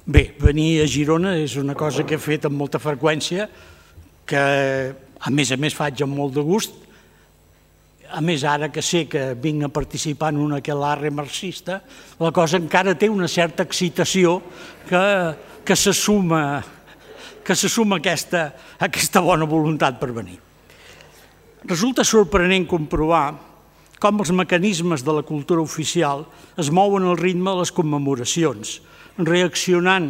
Bé, venir a Girona és una cosa que he fet amb molta freqüència, que a més faig amb molt de gust. A més, ara que sé que vinc a participar en un aquelarre marxista, la cosa encara té una certa excitació que se suma aquesta bona voluntat per venir. Resulta sorprenent comprovar com els mecanismes de la cultura oficial es mouen al ritme de les commemoracions, reaccionant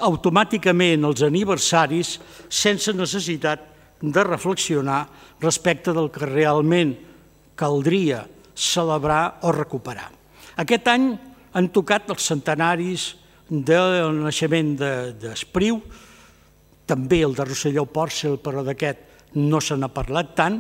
automàticament als aniversaris sense necessitat de reflexionar respecte del que realment caldria celebrar o recuperar. Aquest any han tocat els centenaris del naixement d'Espriu, també el de Rosselló Pòrcel, però d'aquest no se n'ha parlat tant,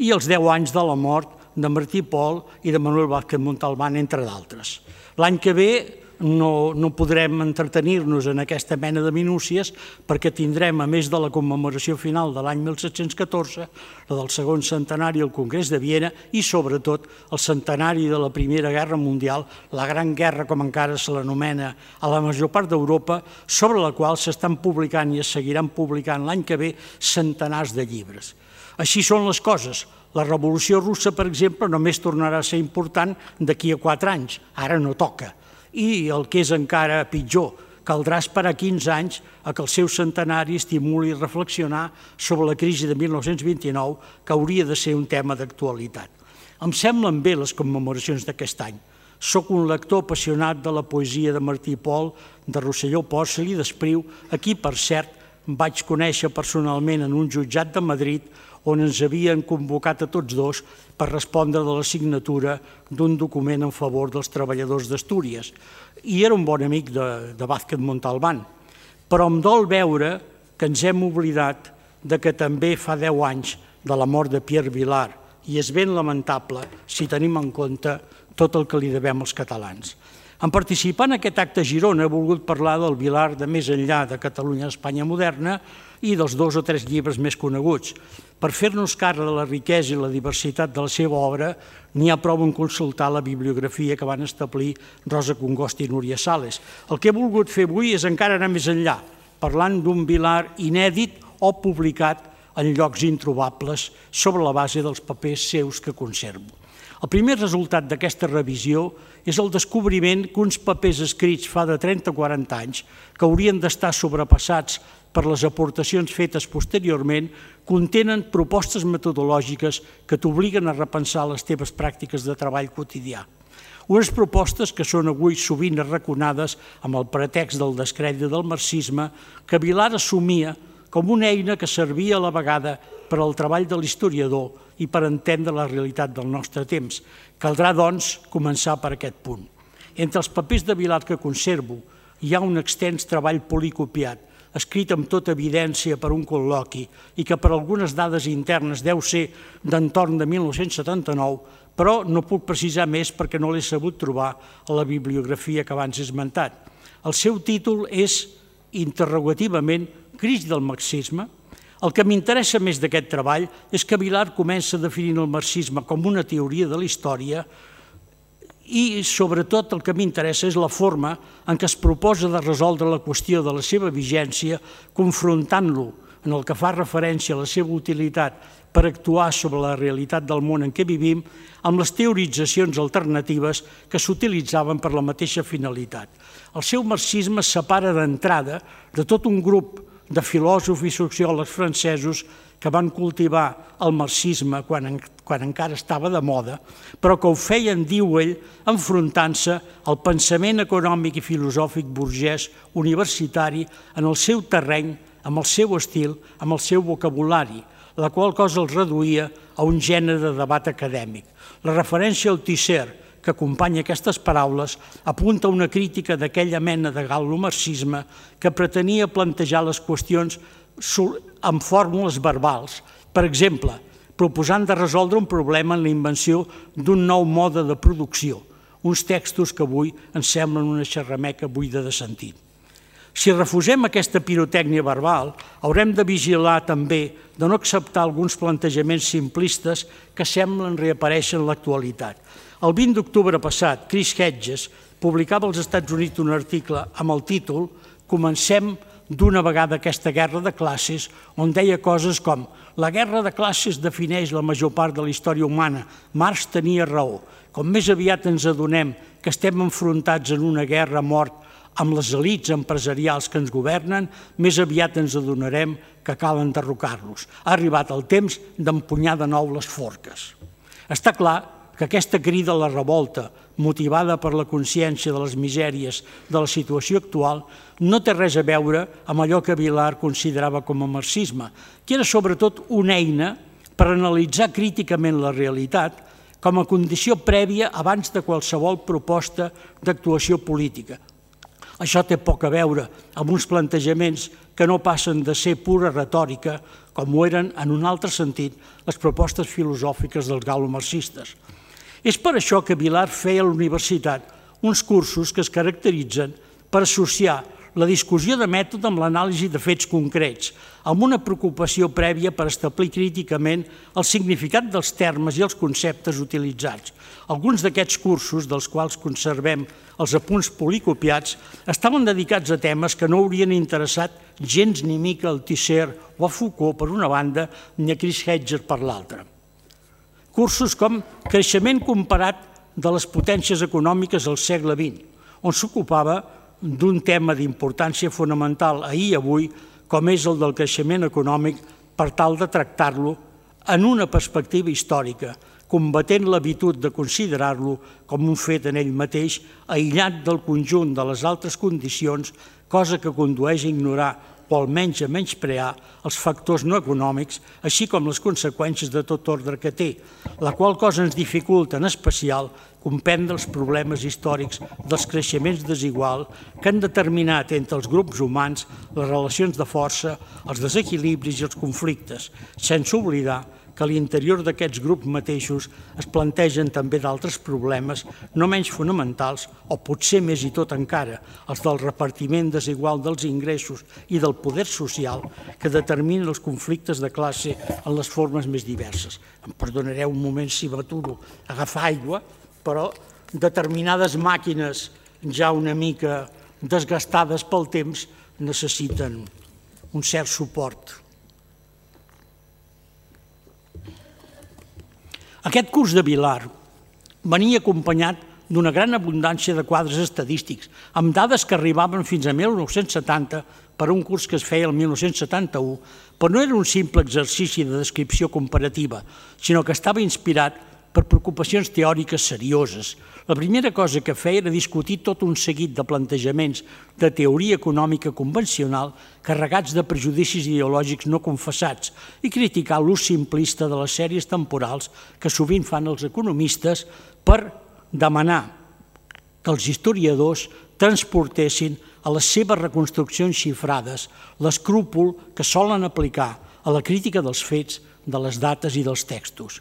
i els 10 anys de la mort de Martí Pol i de Manuel Vázquez Montalbán, entre d'altres. L'any que ve no podrem entretenir-nos en aquesta mena de minúcies perquè tindrem, a més de la commemoració final de l'any 1714, la del segon centenari al Congrés de Viena i, sobretot, el centenari de la Primera Guerra Mundial, la Gran Guerra, com encara se l'anomena a la major part d'Europa, sobre la qual s'estan publicant i es seguiran publicant l'any que ve centenars de llibres. Així són les coses. La Revolució Russa, per exemple, només tornarà a ser important d'aquí a 4 anys. Ara no toca. I el que és encara pitjor, caldrà esperar 15 anys a que el seu centenari estimuli reflexionar sobre la crisi de 1929, que hauria de ser un tema d'actualitat. Em semblen bé les commemoracions d'aquest any. Soc un lector apassionat de la poesia de Martí Pol, de Rosselló Pòrcel i d'Espriu, a qui, per cert, vaig conèixer personalment en un jutjat de Madrid on ens havien convocat a tots dos per respondre de la signatura d'un document en favor dels treballadors d'Astúries. I era un bon amic de Vázquez Montalbán. Però em dol veure que ens hem oblidat que també fa 10 anys de la mort de Pierre Vilar, i és ben lamentable si tenim en compte tot el que li devem als catalans. En participar en aquest acte a Girona he volgut parlar del Vilar de més enllà de Catalunya Espanya moderna i dels 2 o 3 llibres més coneguts. Per fer-nos càrrec de la riquesa i la diversitat de la seva obra, n'hi ha prou en consultar la bibliografia que van establir Rosa Congost i Núria Sales. El que he volgut fer avui és encara anar més enllà, parlant d'un Vilar inèdit o publicat en llocs introbables sobre la base dels papers seus que conservo. El primer resultat d'aquesta revisió és el descobriment que uns papers escrits fa de 30 o 40 anys, que haurien d'estar sobrepassats per les aportacions fetes posteriorment, contenen propostes metodològiques que t'obliguen a repensar les teves pràctiques de treball quotidià. Unes propostes que són avui sovint arraconades amb el pretext del descrèdit del marxisme, que Vilar assumia com una eina que servia a la vegada per al treball de l'historiador i per entendre la realitat del nostre temps. Caldrà, doncs, començar per aquest punt. Entre els papers de Vilar que conservo hi ha un extens treball policopiat, escrit amb tota evidència per un col·loqui i que per algunes dades internes deu ser d'entorn de 1979, però no puc precisar més perquè no l'he sabut trobar a la bibliografia que abans he esmentat. El seu títol és, interrogativament, Crisi del marxisme. El que m'interessa més d'aquest treball és que Vilar comença definint el marxisme com una teoria de la història i, sobretot, el que m'interessa és la forma en què es proposa de resoldre la qüestió de la seva vigència, confrontant-lo en el que fa referència a la seva utilitat per actuar sobre la realitat del món en què vivim, amb les teoritzacions alternatives que s'utilitzaven per la mateixa finalitat. El seu marxisme es separa d'entrada de tot un grup de filòsofs i sociòlegs francesos que van cultivar el marxisme quan encara estava de moda, però que ho feien, diu ell, enfrontant-se al pensament econòmic i filosòfic burgès universitari en el seu terreny, amb el seu estil, amb el seu vocabulari, la qual cosa els reduïa a un gènere de debat acadèmic. La referència al Tisser, que acompanya aquestes paraules, apunta una crítica d'aquella mena de gal·lomarxisme que pretenia plantejar les qüestions amb fórmules verbals. Per exemple, proposant de resoldre un problema en la invenció d'un nou mode de producció, uns textos que avui ens semblen una xerrameca buida de sentit. Si refusem aquesta pirotècnia verbal, haurem de vigilar també de no acceptar alguns plantejaments simplistes que semblen reaparèixer en l'actualitat. El 20 d'octubre passat, Chris Hedges, publicava als Estats Units un article amb el títol «Comencem d'una vegada aquesta guerra de classes», on deia coses com «La guerra de classes defineix la major part de la història humana. Marx tenia raó. Com més aviat ens adonem que estem enfrontats en una guerra a mort amb les elits empresarials que ens governen, més aviat ens adonarem que cal enderrocar-los. Ha arribat el temps d'empunyar de nou les forques». Està clar que aquesta crida a la revolta, motivada per la consciència de les misèries de la situació actual, no té res a veure amb allò que Vilar considerava com a marxisme, que era sobretot una eina per analitzar críticament la realitat com a condició prèvia abans de qualsevol proposta d'actuació política. Això té poc a veure amb uns plantejaments que no passen de ser pura retòrica, com ho eren, en un altre sentit, les propostes filosòfiques dels galo-marxistes. És per això que Vilar feia a la universitat uns cursos que es caracteritzen per associar la discussió de mètode amb l'anàlisi de fets concrets, amb una preocupació prèvia per establir críticament el significat dels termes i els conceptes utilitzats. Alguns d'aquests cursos, dels quals conservem els apunts policopiats, estaven dedicats a temes que no haurien interessat gens ni mica a Althusser o a Foucault per una banda, ni a Chris Hedges per l'altra. Cursos com Creixement comparat de les potències econòmiques al segle XX, on s'ocupava d'un tema d'importància fonamental ahir i avui, com és el del creixement econòmic, per tal de tractar-lo en una perspectiva històrica, combatent l'habitud de considerar-lo com un fet en ell mateix, aïllat del conjunt de les altres condicions, cosa que condueix a ignorar o almenys a menysprear els factors no econòmics, així com les conseqüències de tot ordre que té, la qual cosa ens dificulta en especial comprendre els problemes històrics dels creixements desiguals que han determinat entre els grups humans les relacions de força, els desequilibris i els conflictes, sense oblidar que a l'interior d'aquests grups mateixos es plantegen també d'altres problemes no menys fonamentals, o potser més i tot encara, els del repartiment desigual dels ingressos i del poder social que determinen els conflictes de classe en les formes més diverses. Em perdonareu un moment si m'aturo a agafar aigua, però determinades màquines ja una mica desgastades pel temps necessiten un cert suport. Aquest curs de Vilar venia acompanyat d'una gran abundància de quadres estadístics, amb dades que arribaven fins a 1970 per un curs que es feia el 1971, però no era un simple exercici de descripció comparativa, sinó que estava inspirat per preocupacions teòriques serioses. La primera cosa que feia era discutir tot un seguit de plantejaments de teoria econòmica convencional carregats de prejudicis ideològics no confessats i criticar l'ús simplista de les sèries temporals que sovint fan els economistes per demanar que els historiadors transportessin a les seves reconstruccions xifrades l'escrúpol que solen aplicar a la crítica dels fets, de les dates i dels textos.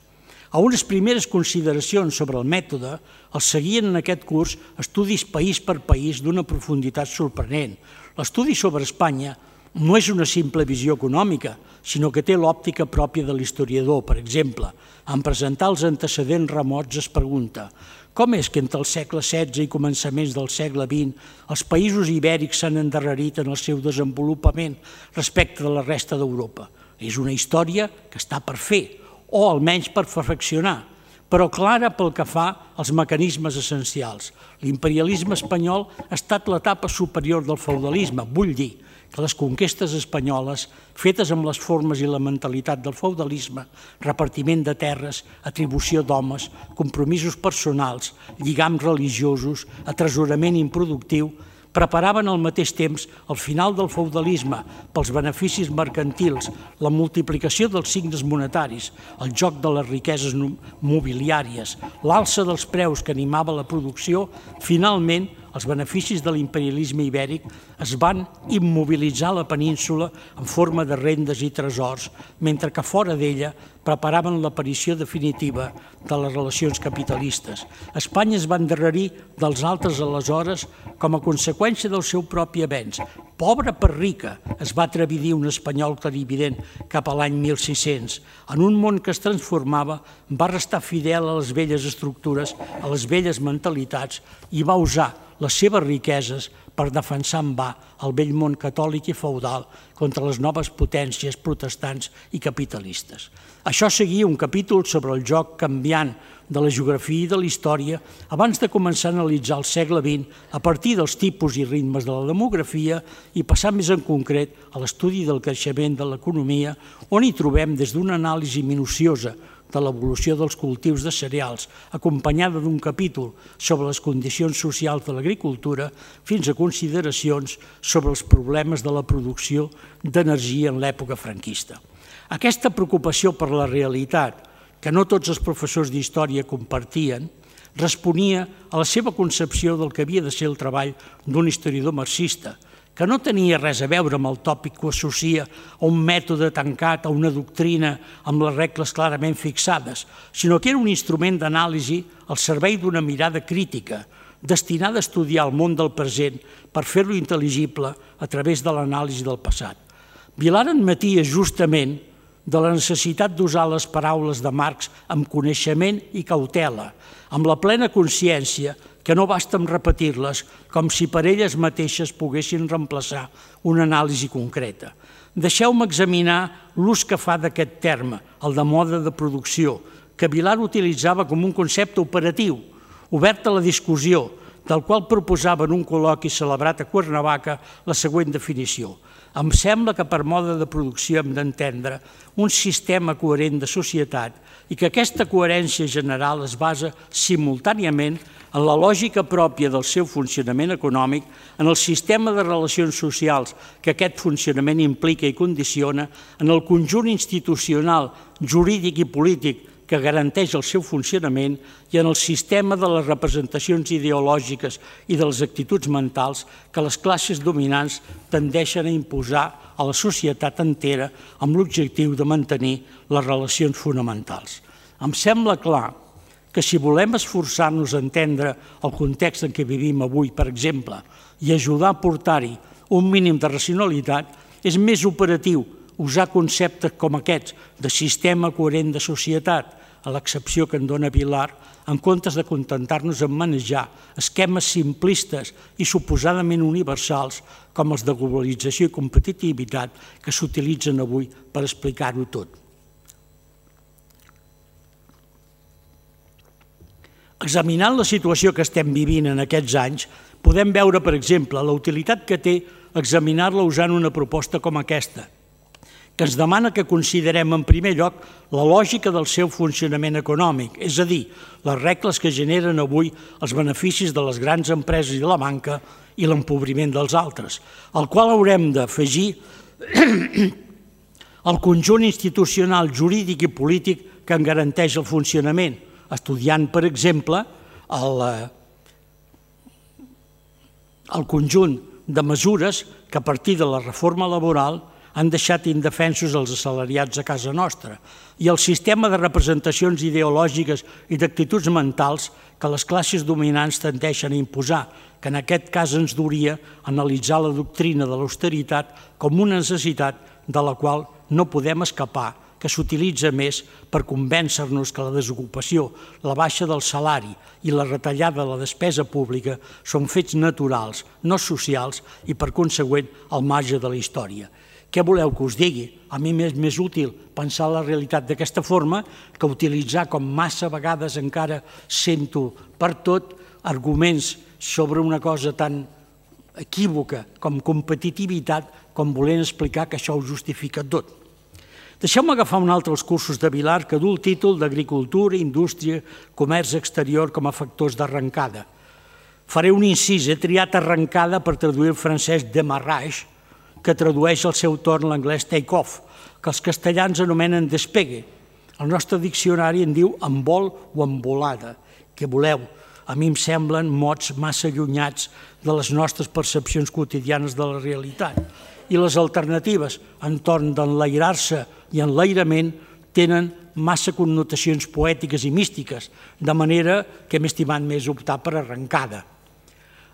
A unes primeres consideracions sobre el mètode els seguien en aquest curs estudis país per país d'una profunditat sorprenent. L'estudi sobre Espanya no és una simple visió econòmica, sinó que té l'òptica pròpia de l'historiador. Per exemple, en presentar els antecedents remots es pregunta com és que entre el segle XVI i començaments del segle XX els països ibèrics s'han endarrerit en el seu desenvolupament respecte de la resta d'Europa? És una història que està per fer, o almenys per perfeccionar, però clara pel que fa als mecanismes essencials. L'imperialisme espanyol ha estat l'etapa superior del feudalisme, vull dir que les conquestes espanyoles, fetes amb les formes i la mentalitat del feudalisme, repartiment de terres, atribució d'homes, compromisos personals, lligams religiosos, atresorament improductiu, preparaven al mateix temps el final del feudalisme pels beneficis mercantils, la multiplicació dels signes monetaris, el joc de les riqueses mobiliàries, l'alça dels preus que animava la producció. Finalment, els beneficis de l'imperialisme ibèric es van immobilitzar a la península en forma de rendes i tresors, mentre que fora d'ella preparaven l'aparició definitiva de les relacions capitalistes. Espanya es va endarrerir dels altres aleshores com a conseqüència del seu propi avenç. Pobra per rica, es va atrevir a dir un espanyol clarivident cap a l'any 1600. En un món que es transformava, va restar fidel a les velles estructures, a les velles mentalitats i va usar les seves riqueses per defensar en va el vell món catòlic i feudal contra les noves potències protestants i capitalistes. Això seguia un capítol sobre el joc canviant de la geografia i de la història abans de començar a analitzar el segle XX a partir dels tipus i ritmes de la demografia i passar més en concret a l'estudi del creixement de l'economia, on hi trobem des d'una anàlisi minuciosa de l'evolució dels cultius de cereals, acompanyada d'un capítol sobre les condicions socials de l'agricultura, fins a consideracions sobre els problemes de la producció d'energia en l'època franquista. Aquesta preocupació per la realitat, que no tots els professors d'història compartien, responia a la seva concepció del que havia de ser el treball d'un historiador marxista, que no tenia res a veure amb el tòpic que ho associa a un mètode tancat, a una doctrina amb les regles clarament fixades, sinó que era un instrument d'anàlisi al servei d'una mirada crítica, destinada a estudiar el món del present per fer-lo intel·ligible a través de l'anàlisi del passat. Vilar admetia justament de la necessitat d'usar les paraules de Marx amb coneixement i cautela, amb la plena consciència que no basta amb repetir-les com si per elles mateixes poguessin reemplaçar una anàlisi concreta. Deixeu-me examinar l'ús que fa d'aquest terme, el de mode de producció, que Vilar utilitzava com un concepte operatiu, obert a la discussió, del qual proposava en un col·loqui celebrat a Cuernavaca la següent definició. Em sembla que per mode de producció hem d'entendre un sistema coherent de societat i que aquesta coherència general es basa simultàniament en la lògica pròpia del seu funcionament econòmic, en el sistema de relacions socials que aquest funcionament implica i condiciona, en el conjunt institucional, jurídic i polític que garanteix el seu funcionament i en el sistema de les representacions ideològiques i de les actituds mentals que les classes dominants tendeixen a imposar a la societat entera amb l'objectiu de mantenir les relacions fonamentals. Em sembla clar que si volem esforçar-nos a entendre el context en què vivim avui, per exemple, i ajudar a portar-hi un mínim de racionalitat, és més operatiu usar conceptes com aquests de sistema coherent de societat, a l'excepció que en dona Vilar, en comptes de contentar-nos en manejar esquemes simplistes i suposadament universals com els de globalització i competitivitat que s'utilitzen avui per explicar-ho tot. Examinant la situació que estem vivint en aquests anys, podem veure, per exemple, la utilitat que té examinar-la usant una proposta com aquesta, que ens demana que considerem en primer lloc la lògica del seu funcionament econòmic, és a dir, les regles que generen avui els beneficis de les grans empreses i de la banca i l'empobriment dels altres, al qual haurem d'afegir el conjunt institucional, jurídic i polític que en garanteix el funcionament, estudiant, per exemple, el conjunt de mesures que a partir de la reforma laboral han deixat indefensos els assalariats a casa nostra i el sistema de representacions ideològiques i d'actituds mentals que les classes dominants tendeixen a imposar, que en aquest cas ens duria a analitzar la doctrina de l'austeritat com una necessitat de la qual no podem escapar, que s'utilitza més per convèncer-nos que la desocupació, la baixa del salari i la retallada de la despesa pública són fets naturals, no socials i, per consegüent, al marge de la història. Què voleu que us digui? A mi m'és més útil pensar la realitat d'aquesta forma que utilitzar, com massa vegades encara sento per tot, arguments sobre una cosa tan equívoca com competitivitat, com volent explicar que això ho justifica tot. Deixeu-me agafar un altre dels cursos de Vilar que du el títol d'Agricultura, Indústria, Comerç Exterior com a factors d'arrencada. Faré un incís, he triat arrencada per traduir el francès démarrage, que tradueix al seu torn l'anglès take-off, que els castellans anomenen despegue. El nostre diccionari en diu envol o envolada. Què voleu? A mi em semblen mots massa allunyats de les nostres percepcions quotidianes de la realitat. I les alternatives entorn d'enlairar-se i enlairament tenen massa connotacions poètiques i místiques, de manera que m'he estimat més optar per arrencada.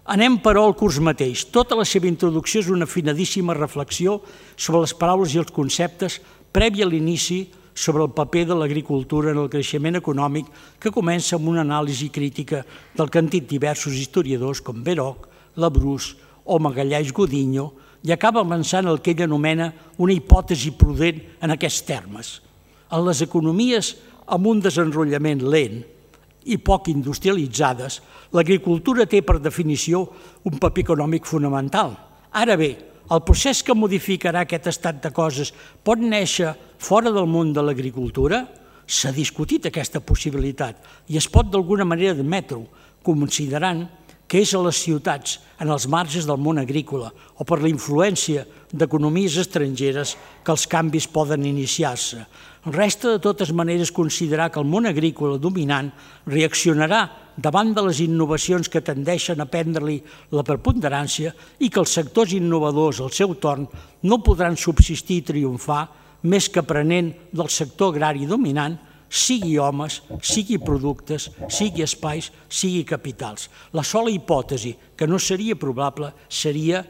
Anem, però, al curs mateix. Tota la seva introducció és una afinadíssima reflexió sobre les paraules i els conceptes prèvia a l'inici sobre el paper de l'agricultura en el creixement econòmic que comença amb una anàlisi crítica del que han dit diversos historiadors com Beroc, Labrús o Magalhães Godinho i acaba avançant el que ell anomena una hipòtesi prudent en aquests termes. En les economies amb un desenrotllament lent i poc industrialitzades, l'agricultura té per definició un paper econòmic fonamental. Ara bé, el procés que modificarà aquest estat de coses pot néixer fora del món de l'agricultura? S'ha discutit aquesta possibilitat i es pot d'alguna manera admetre-ho, considerant que és a les ciutats, en els marges del món agrícola o per la influència d'economies estrangeres que els canvis poden iniciar-se. Resta de totes maneres considerar que el món agrícola dominant reaccionarà davant de les innovacions que tendeixen a prendre-li la preponderància i que els sectors innovadors, al seu torn, no podran subsistir i triomfar més que aprenent del sector agrari dominant, sigui homes, sigui productes, sigui espais, sigui capitals. La sola hipòtesi que no seria probable seria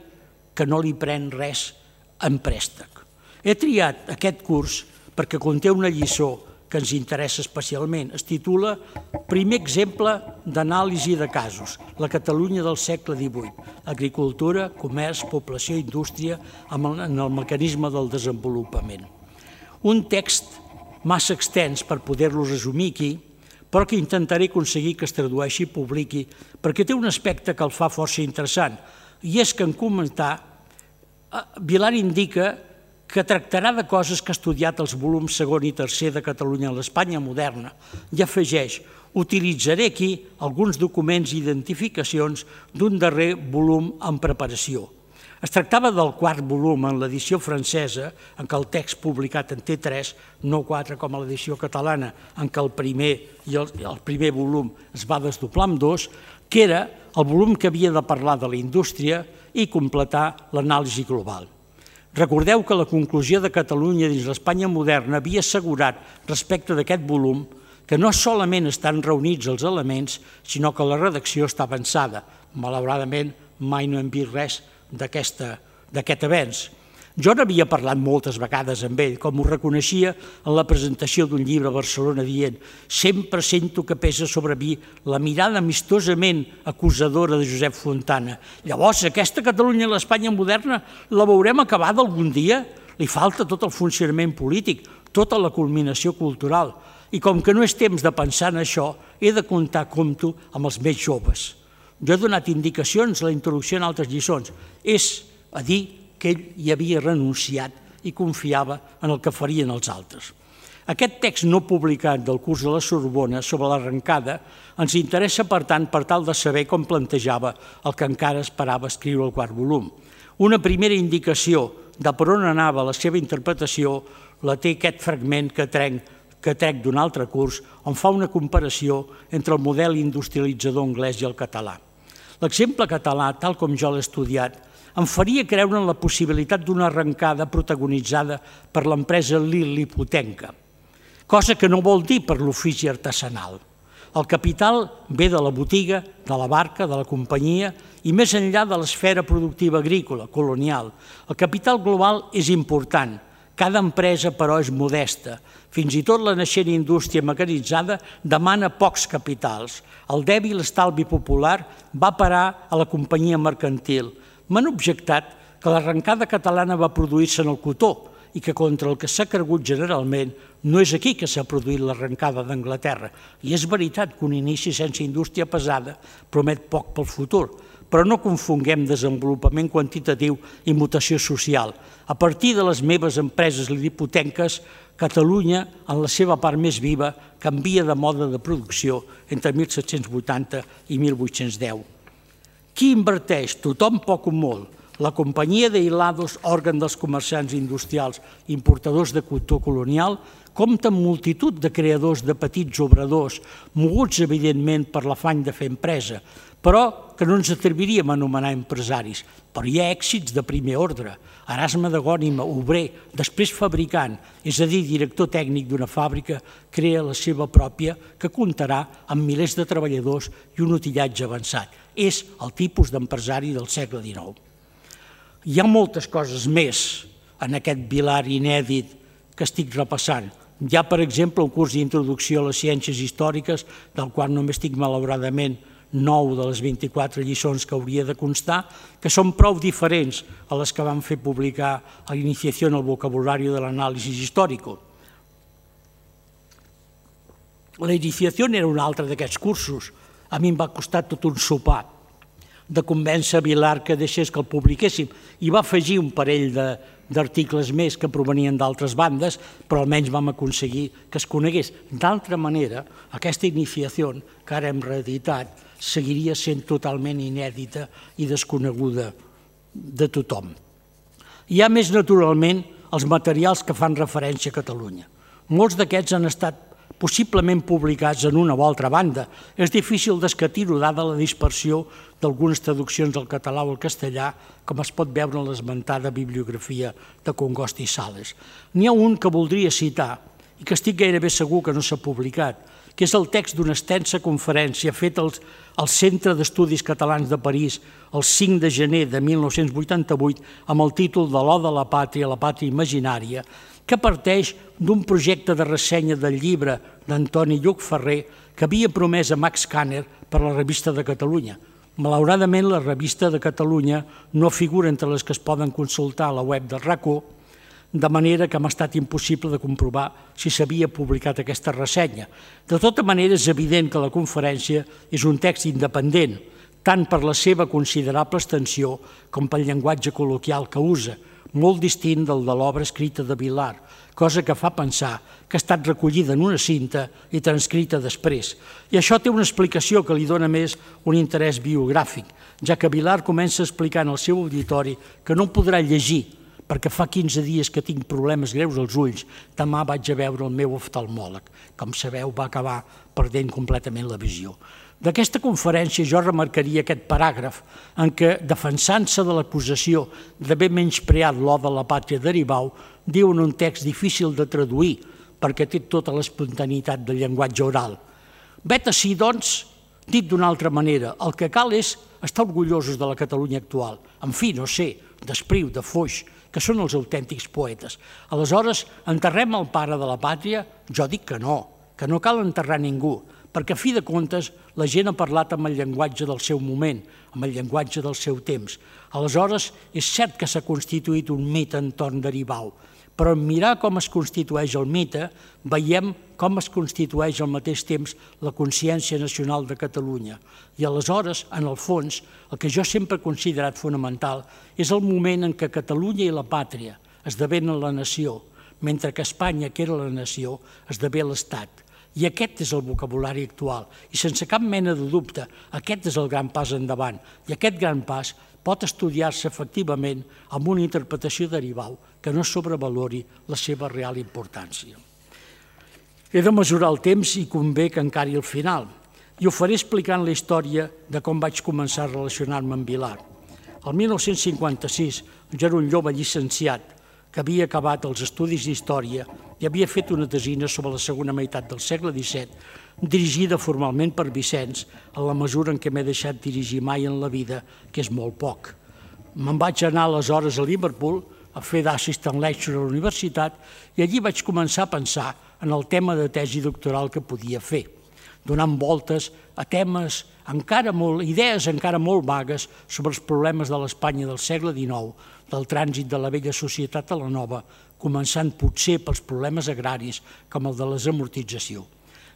que no li pren res en préstec. He triat aquest curs perquè conté una lliçó que ens interessa especialment. Es titula Primer exemple d'anàlisi de casos, la Catalunya del segle XVIII, agricultura, comerç, població, indústria, en el mecanisme del desenvolupament. Un text massa extens per poder-lo resumir aquí, però que intentaré aconseguir que es tradueixi i publiqui, perquè té un aspecte que el fa força interessant, i és que en comentar, Vilar indica que tractarà de coses que ha estudiat els volums segon i tercer de Catalunya a l'Espanya moderna, i afegeix: utilitzaré aquí alguns documents i identificacions d'un darrer volum en preparació. Es tractava del quart volum en l'edició francesa, en què el text publicat en té 3, no 4 com a l'edició catalana, en què el primer volum es va desdoblar en 2, que era el volum que havia de parlar de la indústria i completar l'anàlisi global. Recordeu que la conclusió de Catalunya dins l'Espanya moderna havia assegurat respecte d'aquest volum que no solament estan reunits els elements, sinó que la redacció està avançada. Malauradament, mai no hem vist res d'aquest avenç. Jo n'havia parlat moltes vegades amb ell, com ho reconeixia en la presentació d'un llibre a Barcelona dient: sempre sento que pesa sobre mi la mirada amistosament acusadora de Josep Fontana. Llavors, aquesta Catalunya a l'Espanya moderna la veurem acabada algun dia? Li falta tot el funcionament polític, tota la culminació cultural. I com que no és temps de pensar en això, he de compto amb els més joves. Jo he donat indicacions a la introducció en altres lliçons. És a dir que ell hi havia renunciat i confiava en el que farien els altres. Aquest text no publicat del curs de la Sorbona sobre l'arrencada ens interessa, per tant, per tal de saber com plantejava el que encara esperava escriure el quart volum. Una primera indicació de per on anava la seva interpretació la té aquest fragment que trec d'un altre curs, on fa una comparació entre el model industrialitzador anglès i el català. L'exemple català, tal com jo l'he estudiat, em faria creure en la possibilitat d'una arrencada protagonitzada per l'empresa lil·lipotenca, cosa que no vol dir per l'ofici artesanal. El capital ve de la botiga, de la barca, de la companyia i més enllà de l'esfera productiva agrícola, colonial. El capital global és important, cada empresa però és modesta. Fins i tot la naixent indústria mecanitzada demana pocs capitals. El dèbil estalvi popular va parar a la companyia mercantil. M'han objectat que l'arrencada catalana va produir-se en el cotó i que contra el que s'ha cregut generalment no és aquí que s'ha produït l'arrencada d'Anglaterra. I és veritat que un inici sense indústria pesada promet poc pel futur, però no confonguem desenvolupament quantitatiu i mutació social. A partir de les meves empreses lil·lipotenques, Catalunya, en la seva part més viva, canvia de mode de producció entre 1780 i 1810. Qui inverteix? Tothom poc o molt. La companyia de Hilados, òrgan dels comerciants industrials importadors de cotó colonial, compta amb multitud de creadors de petits obradors, moguts evidentment per l'afany de fer empresa, però que no ens atreviríem a anomenar empresaris. Però hi ha èxits de primer ordre. Erasme de Gònima, obrer, després fabricant, és a dir, director tècnic d'una fàbrica, crea la seva pròpia, que comptarà amb milers de treballadors i un utillatge avançat. És el tipus d'empresari del segle XIX. Hi ha moltes coses més en aquest Vilar inèdit que estic repassant. Hi ha, per exemple, un curs d'introducció a les ciències històriques, del qual només tinc, malauradament, 9 de les 24 lliçons que hauria de constar, que són prou diferents a les que van fer publicar a l'Iniciació en el vocabulari de l'anàlisi històric. La Iniciació era un altre d'aquests cursos. A mi em va costar tot un sopar de convèncer a Vilar que deixés que el publiquéssim, i va afegir un parell d'articles més que provenien d'altres bandes, però almenys vam aconseguir que es conegués. D'altra manera, aquesta Iniciació, que ara hem reeditat, seguiria sent totalment inèdita i desconeguda de tothom. Hi ha més, naturalment, els materials que fan referència a Catalunya. Molts d'aquests han estat possiblement publicats en una o altra banda. És difícil d'escatir-ho, dada la dispersió d'algunes traduccions del català o el castellà, com es pot veure en l'esmentada bibliografia de Congost i Sales. N'hi ha un que voldria citar, i que estic gairebé segur que no s'ha publicat, que és el text d'una extensa conferència feta al Centre d'Estudis Catalans de París el 5 de gener de 1988 amb el títol de l'Oda a la pàtria imaginària, que parteix d'un projecte de ressenya del llibre d'Antoni Lluc Ferrer que havia promès a Max Kanner per la Revista de Catalunya. Malauradament, la Revista de Catalunya no figura entre les que es poden consultar a la web del RACO, de manera que m'ha estat impossible de comprovar si s'havia publicat aquesta ressenya. De tota manera, és evident que la conferència és un text independent, tant per la seva considerable extensió com pel llenguatge col·loquial que usa, molt distint del de l'obra escrita de Vilar, cosa que fa pensar que ha estat recollida en una cinta i transcrita després. I això té una explicació que li dona més un interès biogràfic, ja que Vilar comença explicant al seu auditori que no podrà llegir perquè fa 15 dies que tinc problemes greus als ulls, demà vaig a veure el meu oftalmòleg. Com sabeu, va acabar perdent completament la visió. D'aquesta conferència jo remarcaria aquest paràgraf en què, defensant-se de l'acusació d'haver menyspreat l'Oda a la pàtria d'Aribau, diu en un text difícil de traduir perquè té tota l'espontaneïtat del llenguatge oral. Vet ací, doncs, dit d'una altra manera, el que cal és estar orgullosos de la Catalunya actual. En fi, no sé, d'Espriu, de Foix, que són els autèntics poetes. Aleshores, enterrem el pare de la pàtria? Jo dic que no cal enterrar ningú, perquè a fi de comptes la gent ha parlat amb el llenguatge del seu moment, amb el llenguatge del seu temps. Aleshores, és cert que s'ha constituït un mite entorn d'Aribau, però en mirar com es constitueix el mite, veiem com es constitueix al mateix temps la consciència nacional de Catalunya. I aleshores, en el fons, el que jo sempre he considerat fonamental és el moment en què Catalunya i la pàtria esdevenen la nació, mentre que Espanya, que era la nació, esdevé l'Estat. I aquest és el vocabulari actual. I sense cap mena de dubte, aquest és el gran pas endavant. I aquest gran pas pot estudiar-se efectivament amb una interpretació d'Aribau que no sobrevalori la seva real importància. He de mesurar el temps i convé que encari el final. I ho faré explicant la història de com vaig començar a relacionar-me amb Vilar. El 1956 jo era un jove llicenciat que havia acabat els estudis d'història i havia fet una tesina sobre la segona meitat del segle XVII, dirigida formalment per Vicenç, en la mesura en què m'he deixat dirigir mai en la vida, que és molt poc. Me'n vaig anar aleshores a Liverpool a fer d'assistant lecturer a la universitat i allí vaig començar a pensar en el tema de tesi doctoral que podia fer, donant voltes a temes idees encara molt vagues sobre els problemes de l'Espanya del segle XIX, del trànsit de la vella societat a la nova, començant potser pels problemes agraris com el de la desamortització.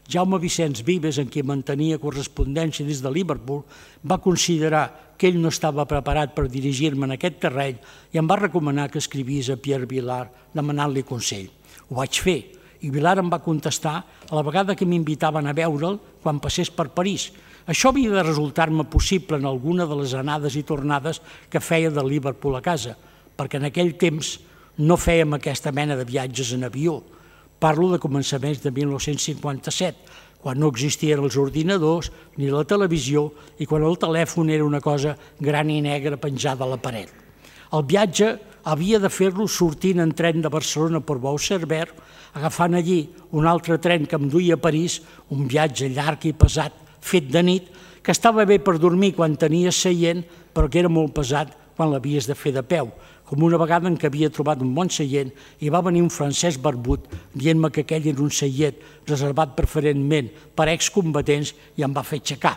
Jaume Vicenç Vives, en qui mantenia correspondència des de Liverpool, va considerar que ell no estava preparat per dirigir-me en aquest terreny i em va recomanar que escrivís a Pierre Vilar demanant-li consell. Ho vaig fer i Vilar em va contestar a la vegada que m'invitaven a veure'l quan passés per París. Això havia de resultar-me possible en alguna de les anades i tornades que feia de Liverpool a casa, perquè en aquell temps no fèiem aquesta mena de viatges en avió. Parlo de començaments de 1957, quan no existien els ordinadors ni la televisió i quan el telèfon era una cosa gran i negra penjada a la paret. El viatge havia de fer-lo sortint en tren de Barcelona per Bou-Cervera, agafant allí un altre tren que em duia a París, un viatge llarg i pesat, fet de nit, que estava bé per dormir quan tenia seient, però que era molt pesat quan l'havies de fer de peu, com una vegada en què havia trobat un bon seient i va venir un francès barbut dient-me que aquell era un seient reservat preferentment per excombatents i em va fer aixecar.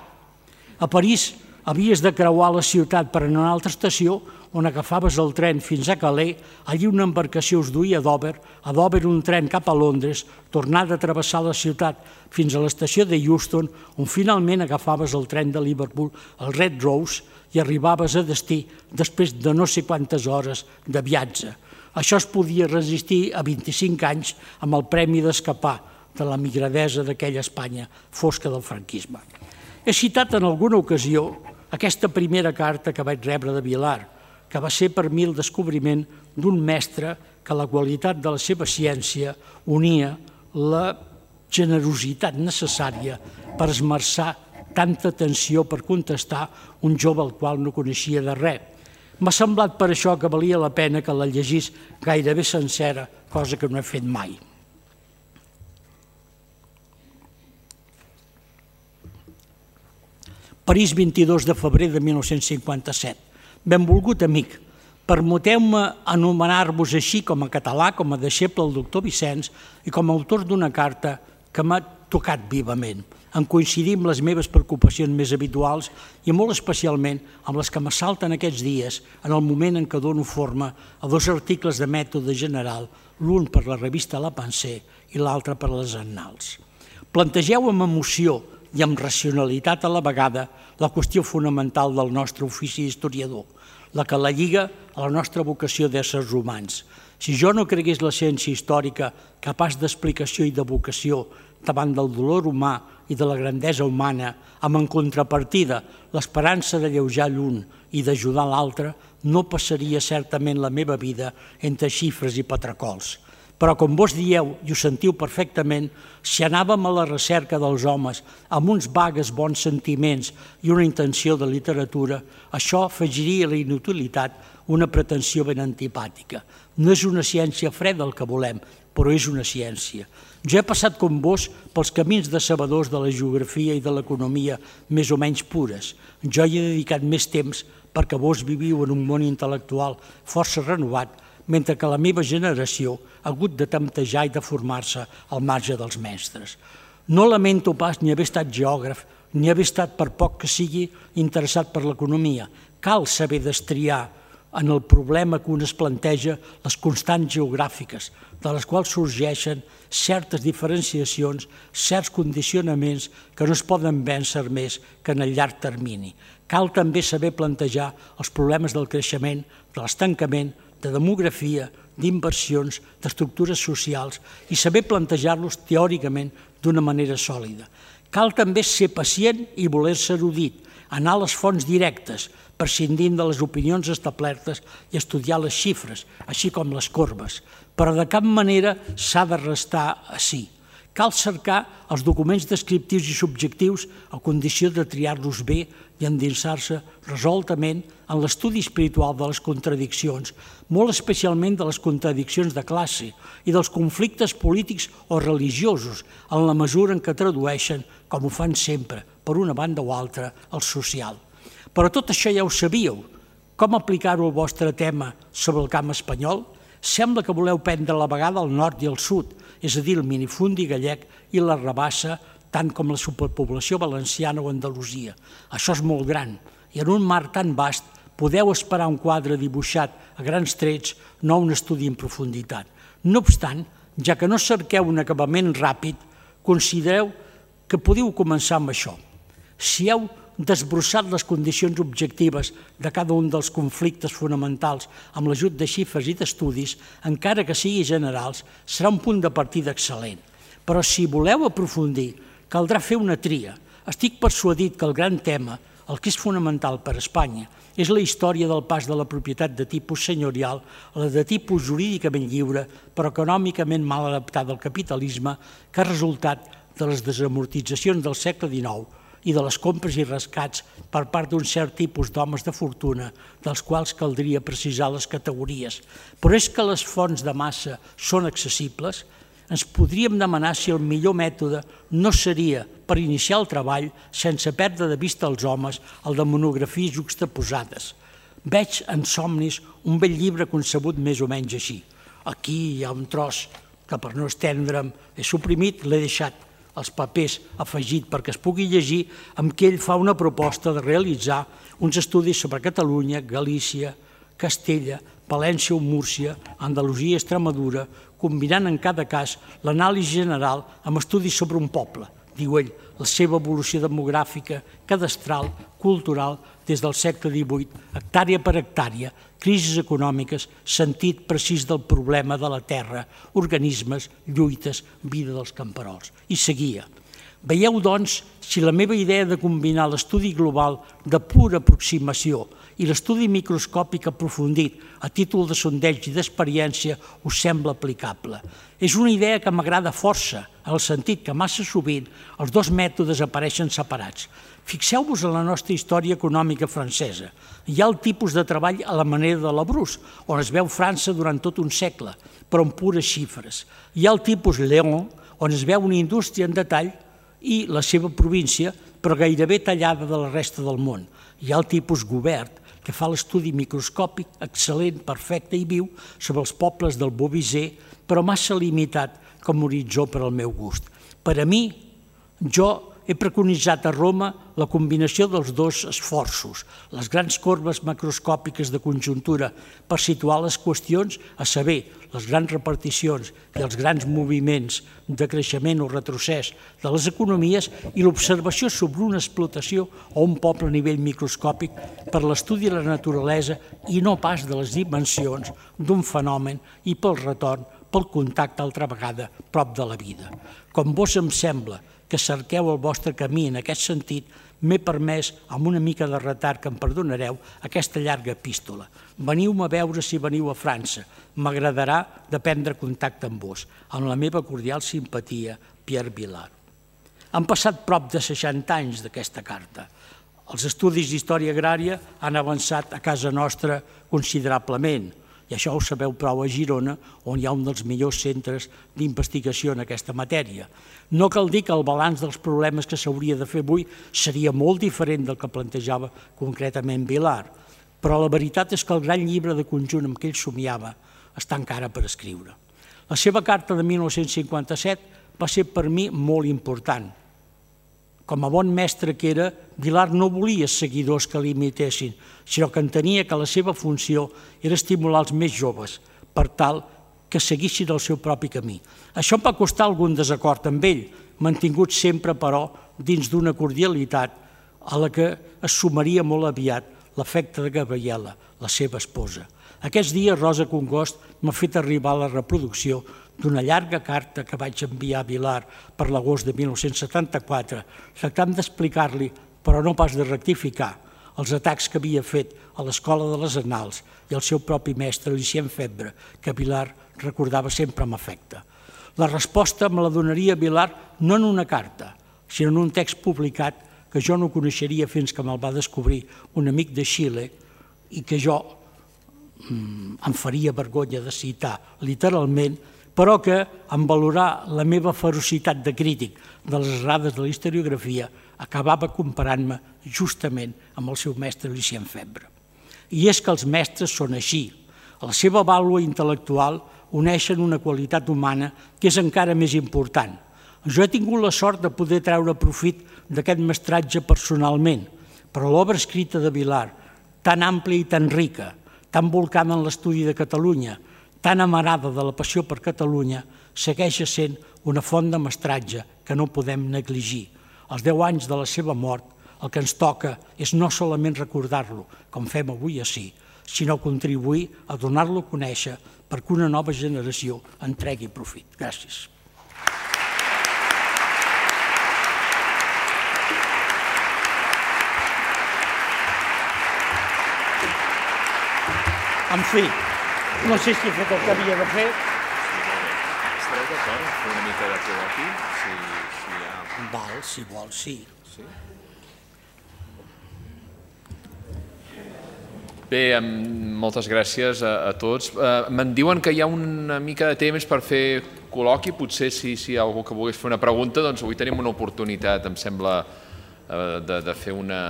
A París havies de creuar la ciutat per anar a una altra estació on agafaves el tren fins a Calais, allí una embarcació us duia a Dover un tren cap a Londres, tornar a travessar la ciutat fins a l'estació de Euston, on finalment agafaves el tren de Liverpool, el Red Rose, i arribaves a destí després de no sé quantes hores de viatge. Això es podia resistir a 25 anys amb el premi d'escapar de la migradesa d'aquella Espanya fosca del franquisme. He citat en alguna ocasió aquesta primera carta que vaig rebre de Vilar, que va ser per mi el descobriment d'un mestre que la qualitat de la seva ciència unia la generositat necessària per esmerçar tanta atenció per contestar un jove al qual no coneixia de res. M'ha semblat per això que valia la pena que la llegís gairebé sencera, cosa que no he fet mai. París, 22 de febrer de 1957. Benvolgut amic, permeteu-me anomenar-vos així com a català, com a deixeble del doctor Vicenç i com a autor d'una carta que m'ha tocat vivament, en coincidir amb les meves preocupacions més habituals i molt especialment amb les que m'assalten aquests dies en el moment en què dono forma a dos articles de mètode general, l'un per la revista La Pensée i l'altre per les Annals. Plantegeu amb emoció i amb racionalitat a la vegada la qüestió fonamental del nostre ofici d'historiador, la que la lliga a la nostra vocació d'éssers humans. Si jo no cregués la ciència històrica capaç d'explicació i de vocació davant del dolor humà i de la grandesa humana, amb en contrapartida l'esperança d'alleujar l'un i d'ajudar l'altre, no passaria certament la meva vida entre xifres i patracols. Però, com vos dieu, i ho sentiu perfectament, si anàvem a la recerca dels homes amb uns vagues bons sentiments i una intenció de literatura, això afegiria a la inutilitat una pretensió ben antipàtica. No és una ciència freda el que volem, però és una ciència. Jo he passat com vos pels camins decebedors de la geografia i de l'economia més o menys pures. Jo hi he dedicat més temps perquè vos viviu en un món intel·lectual força renovat, mentre que la meva generació ha hagut de temptejar i de formar-se al marge dels mestres. No lamento pas ni haver estat geògraf, ni haver estat, per poc que sigui, interessat per l'economia. Cal saber destriar en el problema que un es planteja les constants geogràfiques, de les quals sorgeixen certes diferenciacions, certs condicionaments que no es poden vèncer més que en el llarg termini. Cal també saber plantejar els problemes del creixement, de l'estancament, de demografia, d'inversions, d'estructures socials i saber plantejar-los teòricament d'una manera sòlida. Cal també ser pacient i voler-se erudit, anar a les fonts directes, prescindint de les opinions establertes i estudiar les xifres, així com les corbes, però de cap manera s'ha de restar ací. Cal cercar els documents descriptius i subjectius a condició de triar-los bé i endinsar-se resoltament en l'estudi espiritual de les contradiccions, molt especialment de les contradiccions de classe i dels conflictes polítics o religiosos, en la mesura en què tradueixen, com ho fan sempre, per una banda o altra, el social. Però tot això ja ho sabíeu. Com aplicar-ho al vostre tema sobre el camp espanyol? Sembla que voleu prendre a la vegada el nord i el sud, és a dir, el minifundi gallec i la rabassa, tant com la superpoblació valenciana o Andalusia. Això és molt gran, i en un mar tan vast podeu esperar un quadre dibuixat a grans trets, no un estudi en profunditat. No obstant, ja que no cerqueu un acabament ràpid, considereu que podeu començar amb això. Si heu desbrossat les condicions objectives de cada un dels conflictes fonamentals amb l'ajut de xifres i d'estudis, encara que sigui generals, serà un punt de partida excel·lent. Però si voleu aprofundir, caldrà fer una tria. Estic persuadit que el gran tema, el que és fonamental per a Espanya, és la història del pas de la propietat de tipus senyorial a la de tipus jurídicament lliure, però econòmicament mal adaptada al capitalisme, que ha resultat de les desamortitzacions del segle XIX i de les compres i rescats per part d'un cert tipus d'homes de fortuna, dels quals caldria precisar les categories. Però és que les fonts de massa són accessibles? Ens podríem demanar si el millor mètode no seria, per iniciar el treball, sense perdre de vista els homes, el de monografies juxtaposades. Veig en somnis un vell llibre concebut més o menys així. Aquí hi ha un tros que per no estendre'm he suprimit, l'he deixat els papers afegit perquè es pugui llegir, amb què ell fa una proposta de realitzar uns estudis sobre Catalunya, Galícia, Castella, València o Múrcia, Andalusia i Extremadura, combinant en cada cas l'anàlisi general amb estudis sobre un poble, diu ell, la seva evolució demogràfica, cadastral, cultural, des del segle XVIII, hectàrea per hectàrea, crisis econòmiques, sentit precís del problema de la terra, organismes, lluites, vida dels camperols. I seguia. Veieu, doncs, si la meva idea de combinar l'estudi global de pura aproximació i l'estudi microscòpic aprofundit a títol de sondeig i d'experiència us sembla aplicable. És una idea que m'agrada força, en el sentit que massa sovint els dos mètodes apareixen separats. Fixeu-vos en la nostra història econòmica francesa. Hi ha el tipus de treball a la manera de Labrús, on es veu França durant tot un segle, però en pures xifres. Hi ha el tipus Léon, on es veu una indústria en detall i la seva província, però gairebé tallada de la resta del món. Hi ha el tipus Gobert, que fa l'estudi microscòpic excel·lent, perfecte i viu sobre els pobles del Beauvisé, però massa limitat com a horitzó per al meu gust. Per a mi, jo he preconitzat a Roma la combinació dels dos esforços, les grans corbes macroscòpiques de conjuntura per situar les qüestions, a saber, les grans reparticions i els grans moviments de creixement o retrocés de les economies i l'observació sobre una explotació o un poble a nivell microscòpic per l'estudi de la naturalesa i no pas de les dimensions d'un fenomen i pel retorn, pel contacte altra vegada prop de la vida. Com vos em sembla que cerqueu el vostre camí en aquest sentit, m'he permès, amb una mica de retard que em perdonareu, aquesta llarga epístola. Veniu-me a veure si veniu a França. M'agradarà de prendre contacte amb vos. Amb la meva cordial simpatia, Pierre Vilar. Han passat prop de 60 anys d'aquesta carta. Els estudis d'història agrària han avançat a casa nostra considerablement, i això ho sabeu prou a Girona, on hi ha un dels millors centres d'investigació en aquesta matèria. No cal dir que el balanç dels problemes que s'hauria de fer avui seria molt diferent del que plantejava concretament Vilar, però la veritat és que el gran llibre de conjunt amb què ell somiava està encara per escriure. La seva carta de 1957 va ser per mi molt important. Com a bon mestre que era, Vilar no volia seguidors que l'imitessin, sinó que entenia que la seva funció era estimular els més joves, per tal que seguissin el seu propi camí. Això em va costar algun desacord amb ell, mantingut sempre, però, dins d'una cordialitat a la que es sumaria molt aviat l'afecte de Gabriela, la seva esposa. Aquests dies Rosa Congost m'ha fet arribar la reproducció d'una llarga carta que vaig enviar a Vilar per l'agost de 1974, tractant d'explicar-li, però no pas de rectificar, els atacs que havia fet a l'Escola de les Annals i el seu propi mestre, Lucien Febvre, que Vilar recordava sempre amb afecte. La resposta me la donaria Vilar no en una carta, sinó en un text publicat que jo no coneixeria fins que me'l va descobrir un amic de Xile i que jo em faria vergonya de citar literalment, però que, en valorar la meva ferocitat de crític de les errades de la historiografia, acabava comparant-me justament amb el seu mestre Lucien Febvre. I és que els mestres són així. A la seva vàlua intel·lectual uneixen una qualitat humana que és encara més important. Jo he tingut la sort de poder treure profit d'aquest mestratge personalment, però l'obra escrita de Vilar, tan àmplia i tan rica, tan volcada en l'estudi de Catalunya, tan amarada de la passió per Catalunya, segueix sent una font de mestratge que no podem negligir. Als 10 anys de la seva mort, el que ens toca és no solament recordar-lo, com fem avui ací, sinó contribuir a donar-lo a conèixer perquè una nova generació en tregui profit. Gràcies. En fi, no sé si he fet el que havia de fer. Estareu d'acord en fer una mica de col·loqui? Si hi ha... Val, si vol, sí. Bé, moltes gràcies a tots. Me'n diuen que hi ha una mica de temps per fer col·loqui. Potser si hi ha algú que volgués fer una pregunta, doncs avui tenim una oportunitat, em sembla, de fer una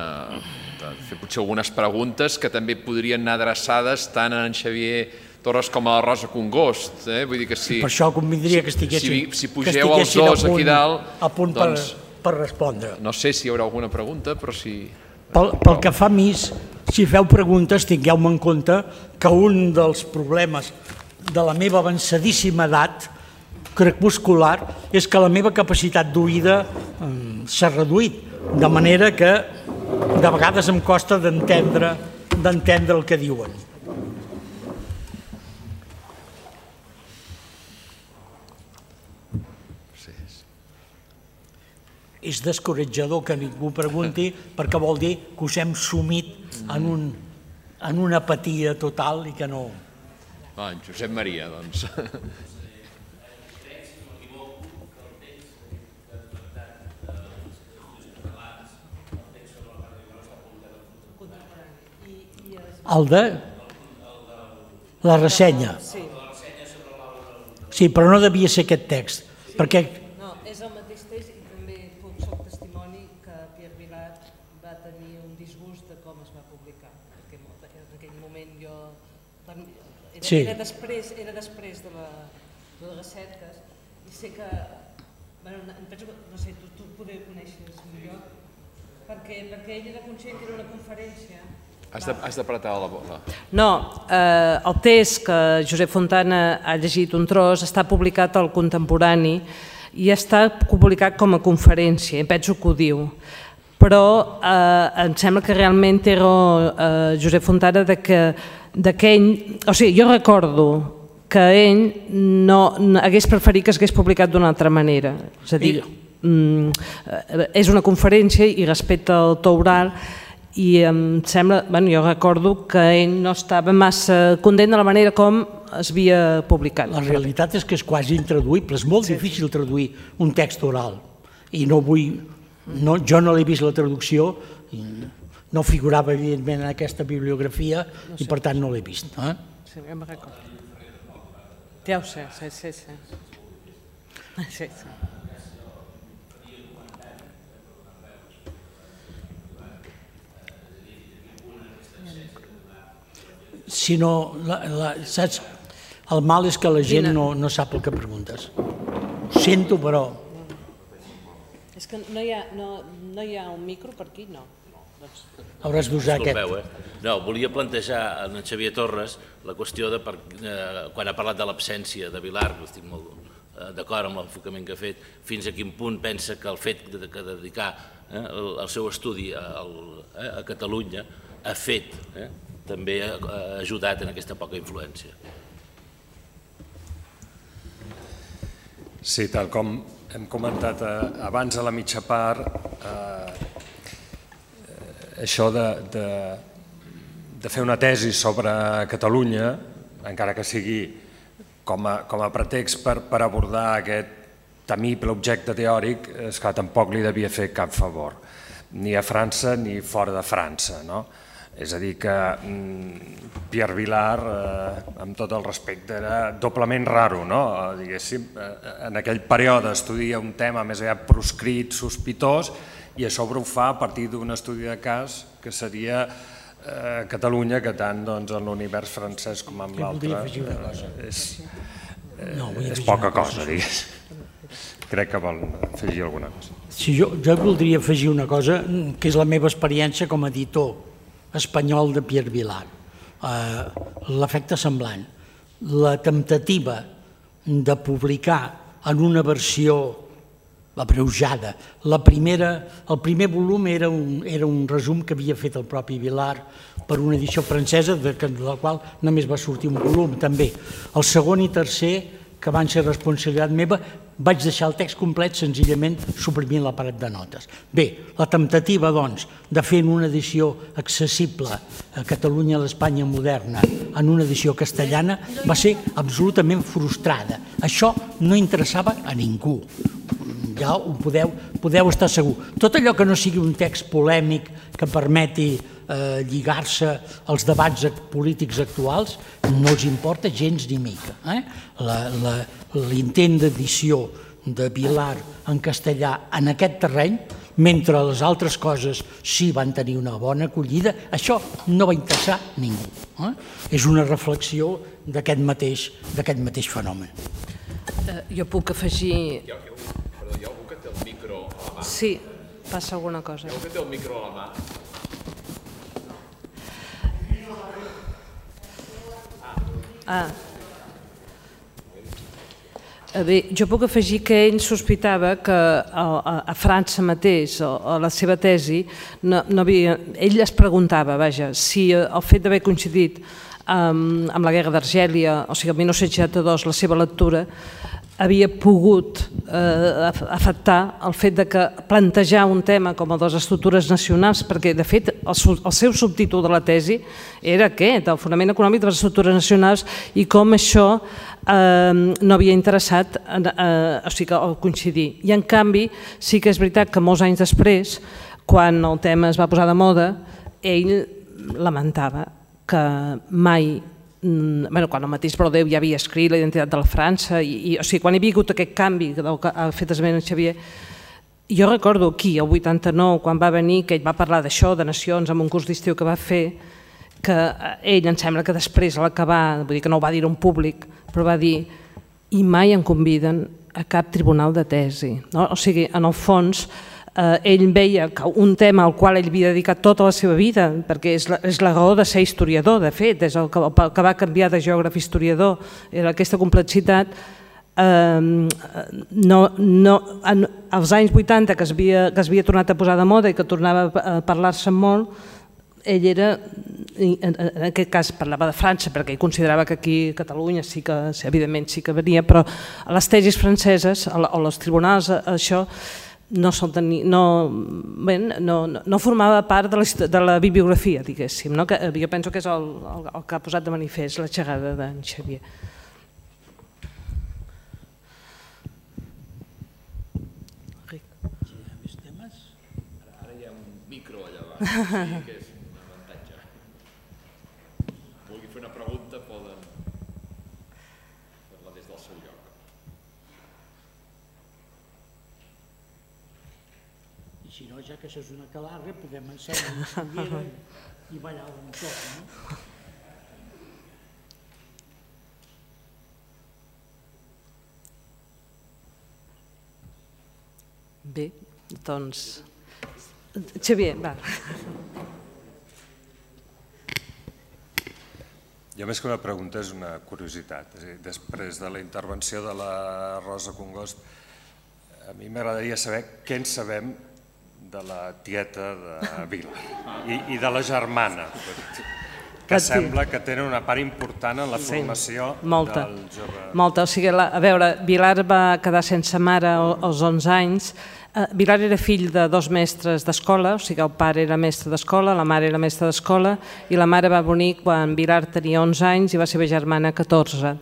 fer potser algunes preguntes que també podrien anar adreçades tant a en Xavier Torres com a la Rosa Congost. Vull dir que si... Per això convindria que estiguessin si pugeu els dos aquí dalt... a punt per respondre. No sé si hi haurà alguna pregunta, però si... Pel que fa a mi, si feu preguntes, tingueu-me en compte que un dels problemes de la meva avançadíssima edat crepuscular és que la meva capacitat d'oïda s'ha reduït, de manera que de vegades em costa d'entendre el que diuen. És descoratjador que ningú pregunti perquè vol dir que us hem sumit en una apatia total i que no... En Josep Maria, doncs... El de... La ressenya. Sí, però no devia ser aquest text, perquè... No, és el mateix text i també soc testimoni que Pierre Vilar va tenir un disgust de com es va publicar, perquè en aquell moment jo... Era després de les recerques i sé que... Penso que, no sé, tu poder conèixer millor, perquè ell era conscient que era una conferència. Has d'apretar la bola. No, el text que Josep Fontana ha llegit un tros està publicat al Contemporani i està publicat com a conferència, penso que ho diu. Però em sembla que realment era Josep Fontana que ell... O sigui, jo recordo que ell no hagués preferit que s'hagués publicat d'una altra manera. És a dir, és una conferència i respecte al to oral i em sembla, jo recordo que ell no estava massa content de la manera com es havia publicat. La realitat és que és quasi intraduïble, és molt difícil traduir un text oral i no vull, jo no l'he vist la traducció, no figurava evidentment en aquesta bibliografia i per tant no l'he vist. Sí, ja me'n recordo. Ja ho sé, sí. Si no, saps, el mal és que la gent no sap el que preguntes. Ho sento, però... És que no hi ha un micro per aquí, no. Hauràs d'usar aquest. No, volia plantejar a en Xavier Torres la qüestió de quan ha parlat de l'absència de Vilar, que estic molt d'acord amb l'enfocament que ha fet, fins a quin punt pensa que el fet de dedicar el seu estudi a Catalunya ha fet, també ha ajudat en aquesta poca influència. Sí, tal com hem comentat abans a la mitja part, això de fer una tesi sobre Catalunya, encara que sigui com a pretext per abordar aquest temible objecte teòric, és que tampoc li devia fer cap favor, ni a França ni fora de França, no? És a dir que Pierre Vilar, amb tot el respecte, era doblement raro, no? Diguéssim, en aquell període estudia un tema més aviat proscrit, sospitós, i a sobre ho fa a partir d'un estudi de cas que seria Catalunya, que tant en l'univers francès com en l'altre és poca cosa, diguéssim. Crec que vol afegir alguna cosa. Sí, jo voldria afegir una cosa, que és la meva experiència com a editor espanyol de Pierre Vilar. L'efecte semblant. La temptativa de publicar en una versió abreujada. El primer volum era un resum que havia fet el propi Vilar per una edició francesa, de la qual només va sortir un volum, també. El segon i tercer, que van ser responsabilitat meva, vaig deixar el text complet senzillament suprimint l'aparat de notes. Bé, la temptativa, doncs, de fer en una edició accessible a Catalunya a l'Espanya moderna, en una edició castellana, va ser absolutament frustrada. Això no interessava a ningú. Ja ho podeu estar segur. Tot allò que no sigui un text polèmic que permeti lligar-se als debats polítics actuals no els importa gens ni mica. L'intent d'edició de Vilar en castellà en aquest terreny mentre les altres coses sí van tenir una bona acollida, això no va interessar ningú. És una reflexió d'aquest mateix fenomen. Jo puc afegir... Perdó, hi ha algú que té el micro a la mà? Sí, passa alguna cosa. Hi ha algú que té el micro a la mà? Bé, jo puc afegir que ell sospitava que a França mateix, a la seva tesi, ell es preguntava, si el fet d'haver coincidit amb la guerra d'Argèlia, o sigui, el 1962, la seva lectura, havia pogut afectar el fet de que plantejar un tema com el de les estructures nacionals, perquè de fet el seu subtítol de la tesi era aquest, el fonament econòmic de les estructures nacionals, i com això no havia interessat coincidir. I en canvi sí que és veritat que molts anys després, quan el tema es va posar de moda, ell lamentava que mai, quan el mateix Brodeu ja havia escrit la identitat de la França, o sigui, quan hi havia hagut aquest canvi del que ha fet esment en Xavier, jo recordo aquí, el 89, quan va venir, que ell va parlar d'això, de nacions, en un curs d'estiu que va fer, que ell, em sembla que després, a l'acabar, vull dir que no ho va dir en públic, però va dir, i mai em conviden a cap tribunal de tesi. O sigui, en el fons, ell veia que un tema al qual ell havia dedicat tota la seva vida, perquè és la raó de ser historiador, de fet, és el que va canviar de geògraf a historiador, era aquesta complexitat. Als anys 80, que es havia tornat a posar de moda i que tornava a parlar-se molt, ell era, en aquest cas parlava de França, perquè ell considerava que aquí a Catalunya sí que, evidentment, sí que venia, però a les tesis franceses, o als tribunals, això no formava part de la bibliografia, diguéssim. Jo penso que és el que ha posat de manifest la xerrada d'en Xavier. Ara hi ha un micro allà davant, que és un avantatge. Vulgui fer una pregunta, poden fer-la des del seu lloc. I si no, ja que això és una calarra, podem ensenyar una sanguera i ballar un toc, no? Bé, doncs... Xavier, va. Jo més que una pregunta és una curiositat. Després de la intervenció de la Rosa Congost, a mi m'agradaria saber què en sabem de la tieta de Vila i de la germana, que sembla que tenen una part important en la formació del jove. Molta. O sigui, a veure, Vilar va quedar sense mare als 11 anys. Vilar era fill de 2 mestres d'escola, o sigui, el pare era mestre d'escola, la mare era mestra d'escola, i la mare va venir quan Vilar tenia 11 anys i va ser germana 14.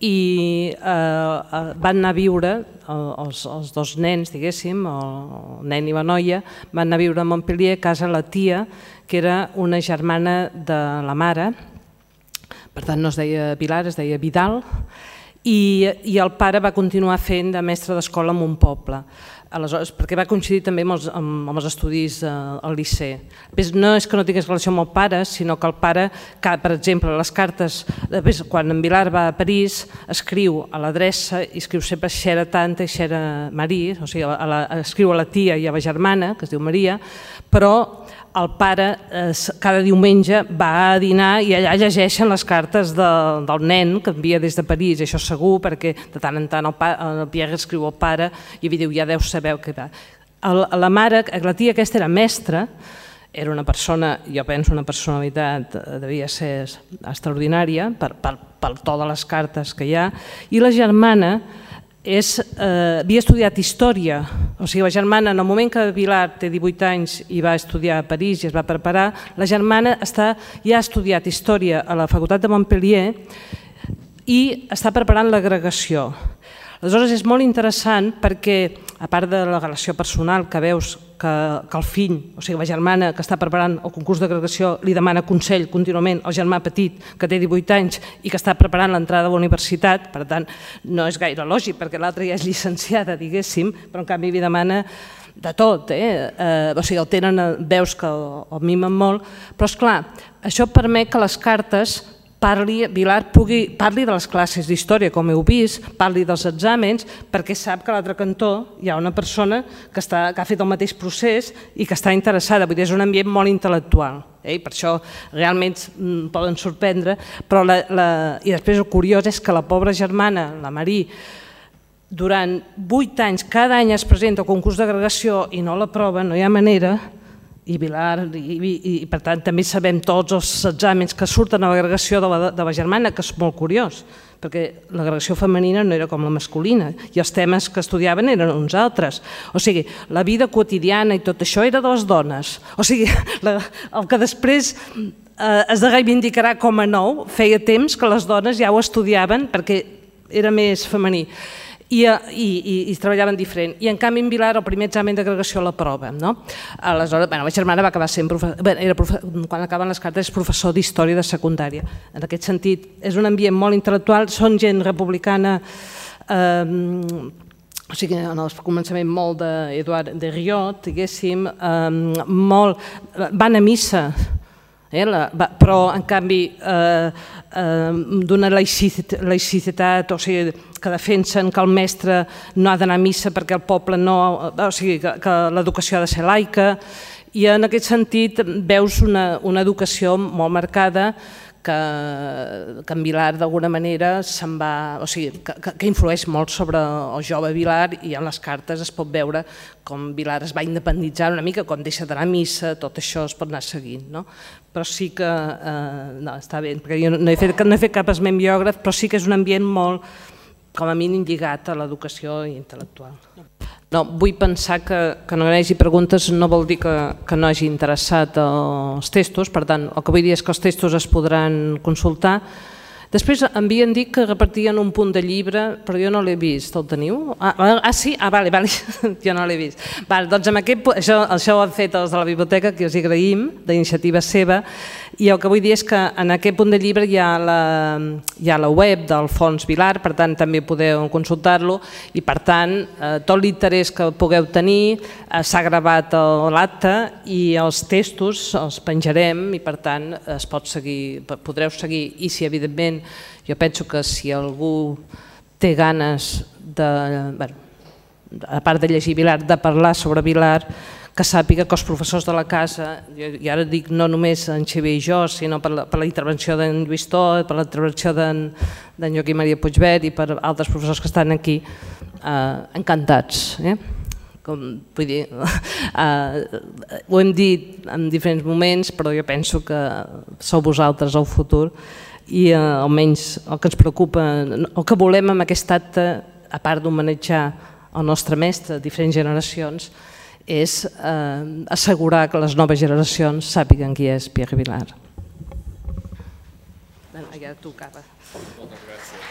I van anar a viure, els 2 nens, diguéssim, el nen i la noia, van anar a viure a Montpellier a casa la tia, que era una germana de la mare, per tant no es deia Vilar, es deia Vidal, i el pare va continuar fent de mestre d'escola en un poble. Aleshores, perquè va coincidir també amb els estudis al Liceu. No és que no tingués relació amb el pare, sinó que el pare, per exemple, les cartes, quan en Vilar va a París, escriu a l'adreça i escriu sempre Xera Tanta i Xera Marie, o sigui, escriu a la tia i a la germana, que es diu Maria, però el pare cada diumenge va a dinar i allà llegeixen les cartes del nen que envia des de París, això segur, perquè de tant en tant el Pierre escriu al pare i diu, ja deu saber què va. La mare, la tia aquesta era mestra, era una persona, jo penso una personalitat, devia ser extraordinària pel to de les cartes que hi ha, i la germana havia estudiat història, o sigui, la germana, en el moment que Vilar té 18 anys i va estudiar a París i es va preparar, la germana ja ha estudiat història a la Facultat de Montpellier i està preparant l'agregació. Aleshores és molt interessant perquè, a part de la relació personal que veus que el fill, o sigui la germana que està preparant el concurs d'agregació li demana consell contínuament al germà petit que té 18 anys i que està preparant l'entrada a la universitat, per tant no és gaire lògic perquè l'altra ja és llicenciada, diguéssim, però en canvi li demana de tot, o sigui, el tenen, veus que el mimen molt, però esclar, això permet que les cartes Vilar parli de les classes d'història, com heu vist, parli dels exàmens, perquè sap que a l'altre cantó hi ha una persona que ha fet el mateix procés i que està interessada, vull dir, és un ambient molt intel·lectual. Per això realment poden sorprendre, i després el curiós és que la pobra germana, la Marí, durant 8 anys, cada any es presenta al concurs d'agregació i no l'aprova, no hi ha manera, i Vilar, i per tant també sabem tots els exàmens que surten a l'agregació de la germana, que és molt curiós, perquè l'agregació femenina no era com la masculina i els temes que estudiaven eren uns altres. O sigui, la vida quotidiana i tot això era de les dones. O sigui, el que després es reivindicarà com a nou, feia temps que les dones ja ho estudiaven perquè era més femení. I treballaven diferent. I en canvi en Vilar el primer examen d'agregació l'aprova. Aleshores, la germana va acabar sent quan acaben les cartes és professor d'història de secundària. En aquest sentit, és un ambient molt intel·lectual, són gent republicana, o sigui, en el començament molt d'Eduard de Riot, diguéssim, van a missa, però en canvi d'una laïcitat, o sigui, que defensen que el mestre no ha d'anar a missa perquè el poble no... O sigui, que l'educació ha de ser laica, i en aquest sentit veus una educació molt marcada que en Vilar d'alguna manera se'n va... O sigui, que influeix molt sobre el jove Vilar, i en les cartes es pot veure com Vilar es va independitzar una mica, com deixa d'anar a missa, tot això es pot anar seguint, no? Però sí que... No, està bé, perquè jo no he fet cap esment biògraf, però sí que és un ambient molt, com a mínim, lligat a l'educació intel·lectual. No, vull pensar que no hi hagi preguntes no vol dir que no hagi interessat els textos, per tant, el que vull dir és que els textos es podran consultar. Després em havien dit que repartien un punt de llibre, però jo no l'he vist, el teniu? Sí? Vale, jo no l'he vist. Doncs això ho han fet els de la biblioteca, que us hi agraïm, d'iniciativa seva, i el que vull dir és que en aquest punt de llibre hi ha la web del Fons Vilar, per tant també podeu consultar-lo, i per tant tot l'interès que pugueu tenir s'ha gravat a l'acte i els textos els penjarem i per tant es pot seguir, podreu seguir, i si evidentment jo penso que si algú té ganes a part de llegir Vilar, de parlar sobre Vilar, que sàpiga que els professors de la casa, i ara dic no només en Xavier i jo, sinó per la intervenció d'en Lluís Tot, per la intervenció d'en Joaquim Maria Puigvert i per altres professors que estan aquí, encantats. Vull dir, ho hem dit en diferents moments, però jo penso que sou vosaltres el futur i almenys el que ens preocupa, el que volem amb aquest acte, a part d'homenatjar el nostre mestre de diferents generacions, és assegurar que les noves generacions sàpiguen qui és Pierre Vilar. Ja tocava. Moltes gràcies.